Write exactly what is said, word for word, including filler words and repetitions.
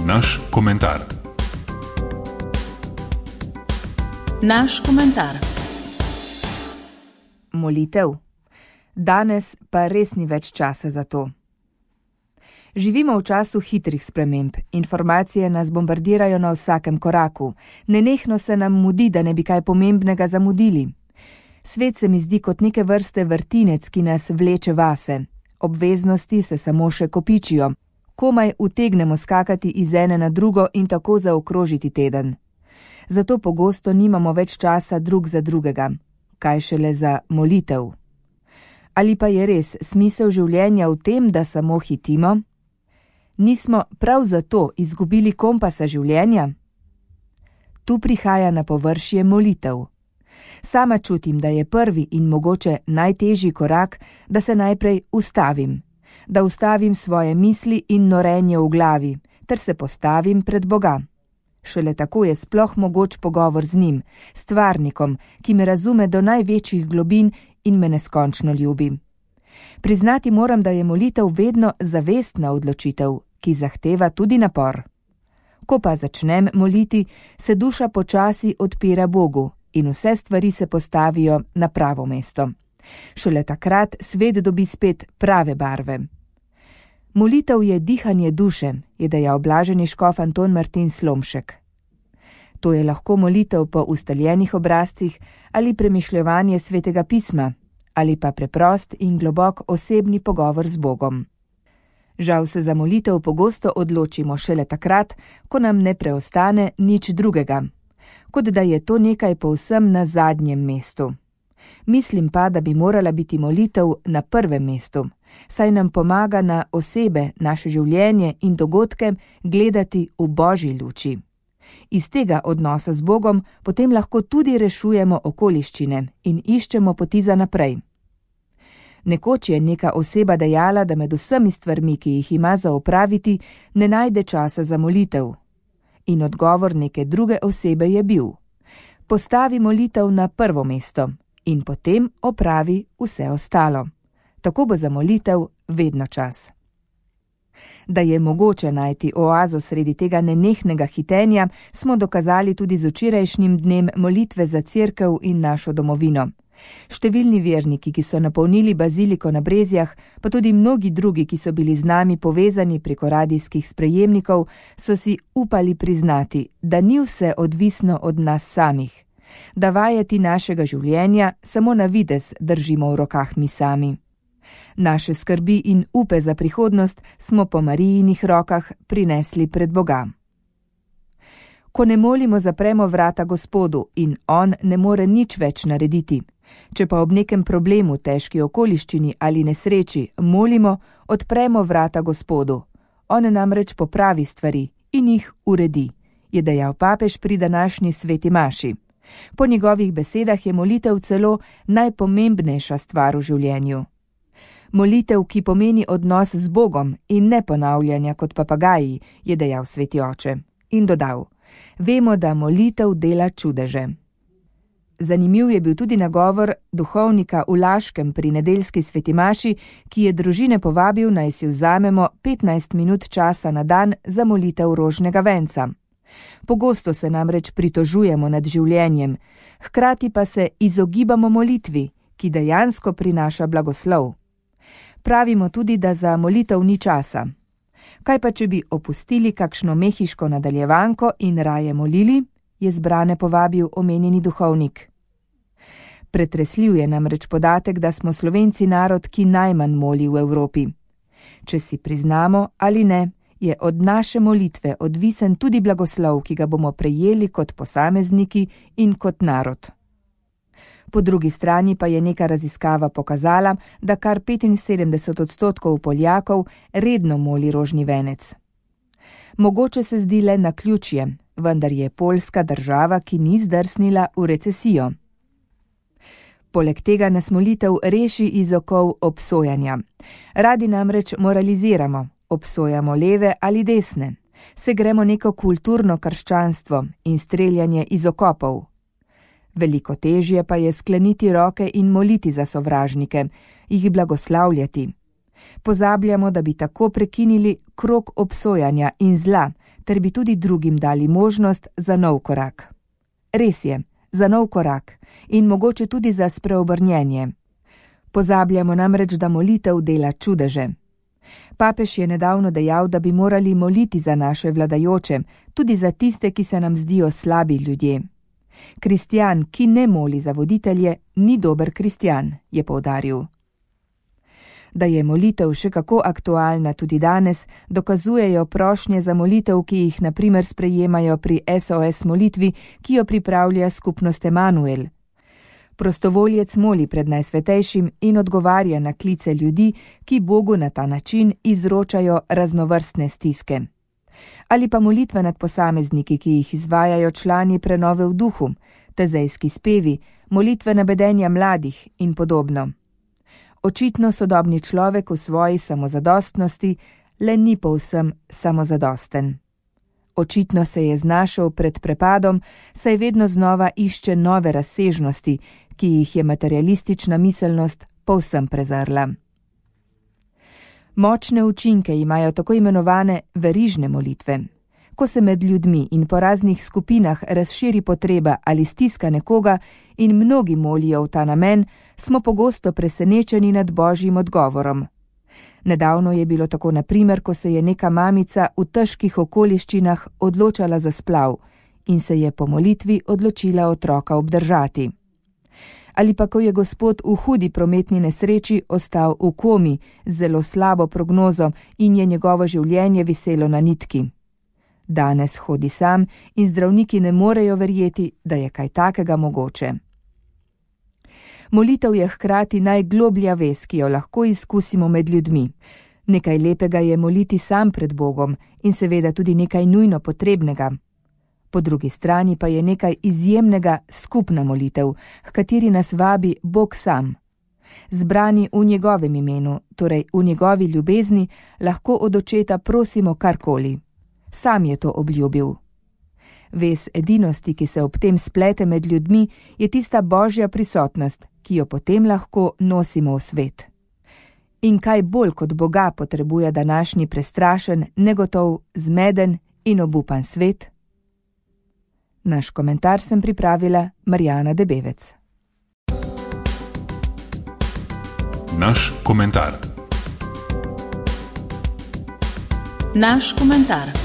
Naš komentar. Naš komentar. Molitev. Danes pa res ni več časa za to. Živimo v času hitrih sprememb. Informacije nas bombardirajo na vsakem koraku. Nenehno se nam mudi, da ne bi kaj pomembnega zamudili. Svet se mi zdi kot neke vrste vrtinec, ki nas vleče vase. Obveznosti se samo še kopičijo. Komaj utegnemo skakati iz ene na drugo in tako zaokrožiti teden. Zato pogosto nimamo več časa drug za drugega. Kaj šele za molitev? Ali pa je res smisel življenja v tem, da samo hitimo? Nismo prav zato izgubili kompasa življenja? Tu prihaja na površje molitev. Sama čutim, da je prvi in mogoče najtežji korak, da se najprej ustavim. Da ustavim svoje misli in norenje v glavi, ter se postavim pred Boga. Šele tako je sploh mogoč pogovor z njim, stvarnikom, ki me razume do največjih globin in me neskončno ljubi. Priznati moram, da je molitev vedno zavestna odločitev, ki zahteva tudi napor. Ko pa začnem moliti, se duša počasi odpira Bogu in vse stvari se postavijo na pravo mesto. Šele takrat svet dobi spet prave barve. Molitev je dihanje duše, je dejal blaženi škof Anton Martin Slomšek. To je lahko molitev po ustaljenih obrazcih ali premišljevanje svetega pisma, ali pa preprost in globok osebni pogovor z Bogom. Žal se za molitev pogosto odločimo šele takrat, ko nam ne preostane nič drugega, kot da je to nekaj povsem na zadnjem mestu. Mislim pa, da bi morala biti molitev na prvem mestu, saj nam pomaga na osebe, naše življenje in dogodke gledati v Božji luči. Iz tega odnosa z Bogom potem lahko tudi rešujemo okoliščine in iščemo poti za naprej. Nekoč je neka oseba dejala, da med vsemi stvarmi, ki jih ima za opraviti, ne najde časa za molitev. In odgovor neke druge osebe je bil: postavi molitev na prvo mesto in potem opravi vse ostalo. Tako bo za molitev vedno čas. Da je mogoče najti oazo sredi tega nenehnega hitenja, smo dokazali tudi z včerajšnjim dnem molitve za cerkev in našo domovino. Številni verniki, ki so napolnili baziliko na Brezjah, pa tudi mnogi drugi, ki so bili z nami povezani preko radijskih sprejemnikov, so si upali priznati, da ni vse odvisno od nas samih, da vajeti našega življenja samo na videz držimo v rokah mi sami. Naše skrbi in upe za prihodnost smo po Marijinih rokah prinesli pred Boga. Ko ne molimo, zapremo vrata Gospodu in On ne more nič več narediti. Če pa ob nekem problemu, težki okoliščini ali nesreči molimo, odpremo vrata Gospodu. On namreč popravi stvari in jih uredi, je dejal papež pri današnji sveti maši. Po njegovih besedah je molitev celo najpomembnejša stvar v življenju. Molitev, ki pomeni odnos z Bogom in ne ponavljanja kot papagaji, je dejal sveti oče. In dodal: vemo, da molitev dela čudeže. Zanimiv je bil tudi nagovor duhovnika v Laškem pri nedeljski sveti maši, ki je družine povabil, naj si vzamemo petnajst minut časa na dan za molitev rožnega venca. Pogosto se namreč pritožujemo nad življenjem, hkrati pa se izogibamo molitvi, ki dejansko prinaša blagoslov. Pravimo tudi, da za molitev ni časa. Kaj pa, če bi opustili kakšno mehiško nadaljevanko in raje molili, je zbrane povabil omenjeni duhovnik. Pretresljiv je namreč podatek, da smo Slovenci narod, ki najmanj moli v Evropi. Če si priznamo ali ne, je od naše molitve odvisen tudi blagoslov, ki ga bomo prejeli kot posamezniki in kot narod. Po drugi strani pa je neka raziskava pokazala, da kar petinsedemdeset odstotkov Poljakov redno moli rožni venec. Mogoče se zdi le naključje, vendar je Poljska država, ki ni zdrsnila v recesijo. Poleg tega nas molitev reši iz okov obsojanja. Radi namreč moraliziramo, obsojamo leve ali desne, se gremo neko kulturno krščanstvo in streljanje iz okopov. Veliko težje pa je skleniti roke in moliti za sovražnike, jih blagoslavljati. Pozabljamo, da bi tako prekinili krog obsojanja in zla, ter bi tudi drugim dali možnost za nov korak. Res je, za nov korak in mogoče tudi za spreobrnjenje. Pozabljamo namreč, da molitev dela čudeže. Papež je nedavno dejal, da bi morali moliti za naše vladajoče, tudi za tiste, ki se nam zdijo slabi ljudje. Kristjan, ki ne moli za voditelje, ni dober kristjan, je poudaril. Da je molitev še kako aktualna tudi danes, dokazujejo prošnje za molitev, ki jih na primer sprejemajo pri S O S molitvi, ki jo pripravlja skupnost Emanuel. Prostovoljec moli pred Najsvetejšim in odgovarja na klice ljudi, ki Bogu na ta način izročajo raznovrstne stiske. Ali pa molitve nad posamezniki, ki jih izvajajo člani prenove v duhu, tezejski spevi, molitve nabedenja mladih in podobno. Očitno sodobni človek v svoji samozadostnosti le ni povsem samozadosten. Očitno se je znašel pred prepadom, saj vedno znova išče nove razsežnosti, ki jih je materialistična miselnost povsem prezrla. Močne učinke imajo tako imenovane verižne molitve. Ko se med ljudmi in po raznih skupinah razširi potreba ali stiska nekoga in mnogi molijo v ta namen, smo pogosto presenečeni nad Božjim odgovorom. Nedavno je bilo tako na primer, ko se je neka mamica v težkih okoliščinah odločala za splav in se je po molitvi odločila otroka obdržati. Ali pa ko je gospod v hudi prometni nesreči ostal v komi z zelo slabo prognozo in je njegovo življenje viselo na nitki. Danes hodi sam in zdravniki ne morejo verjeti, da je kaj takega mogoče. Molitev je hkrati najgloblja vez, ki jo lahko izkusimo med ljudmi. Nekaj lepega je moliti sam pred Bogom in seveda tudi nekaj nujno potrebnega. Po drugi strani pa je nekaj izjemnega skupna molitev, h kateri nas vabi Bog sam. Zbrani v njegovem imenu, torej v njegovi ljubezni, lahko od očeta prosimo karkoli. Sam je to obljubil. Vez edinosti, ki se ob tem splete med ljudmi, je tista Božja prisotnost, ki jo potem lahko nosimo v svet. In kaj bolj kot Boga potrebuje današnji prestrašen, negotov, zmeden in obupan svet? Naš komentar sem pripravila Marjana Debevec. Naš komentar. Naš komentar.